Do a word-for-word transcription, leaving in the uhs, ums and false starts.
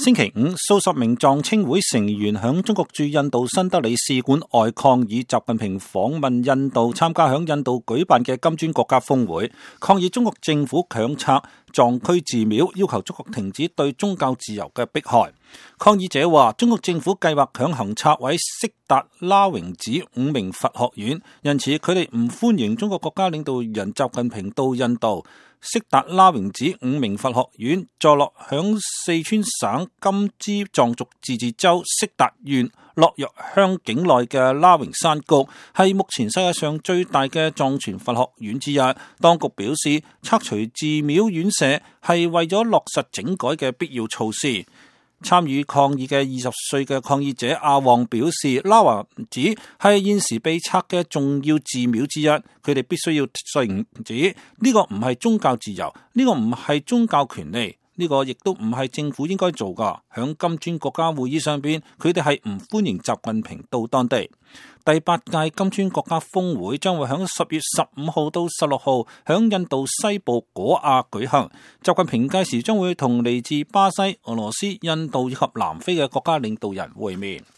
星期五，數十名藏青會成員響中國駐印度新德里使館外抗議習近平訪問印度，參加響印度舉辦嘅金磚國家峰會，抗議中國政府強拆藏區寺廟，要求中國停止對宗教自由嘅迫害。抗議者話，中國政府計劃強行拆毀色達拉榮寺五名佛學院，因此佢哋唔歡迎中國國家領導人習近平到印度。色達拉榮寺五名佛學院坐落響四川省甘孜藏族自治州色達縣洛若鄉境內嘅拉榮山谷，係目前世界上最大嘅藏傳佛學院之一。當局表示，拆除寺廟院舍係為咗落實整改嘅必要措施。參與抗議嘅二十歲嘅抗議者阿旺表示，拉華寺係現時被拆嘅重要寺廟之一，佢哋必須要承認呢個唔係宗教自由，呢個唔係宗教權利，呢個亦都唔係政府應該做噶。響金磚國家會議上邊，佢哋係唔歡迎習近平到當地。第八屆金磚國家峰會將會響十月十五號到十六號響印度西部果亞舉行。習近平屆時將會同嚟自巴西、俄羅斯、印度以及南非嘅國家領導人會面。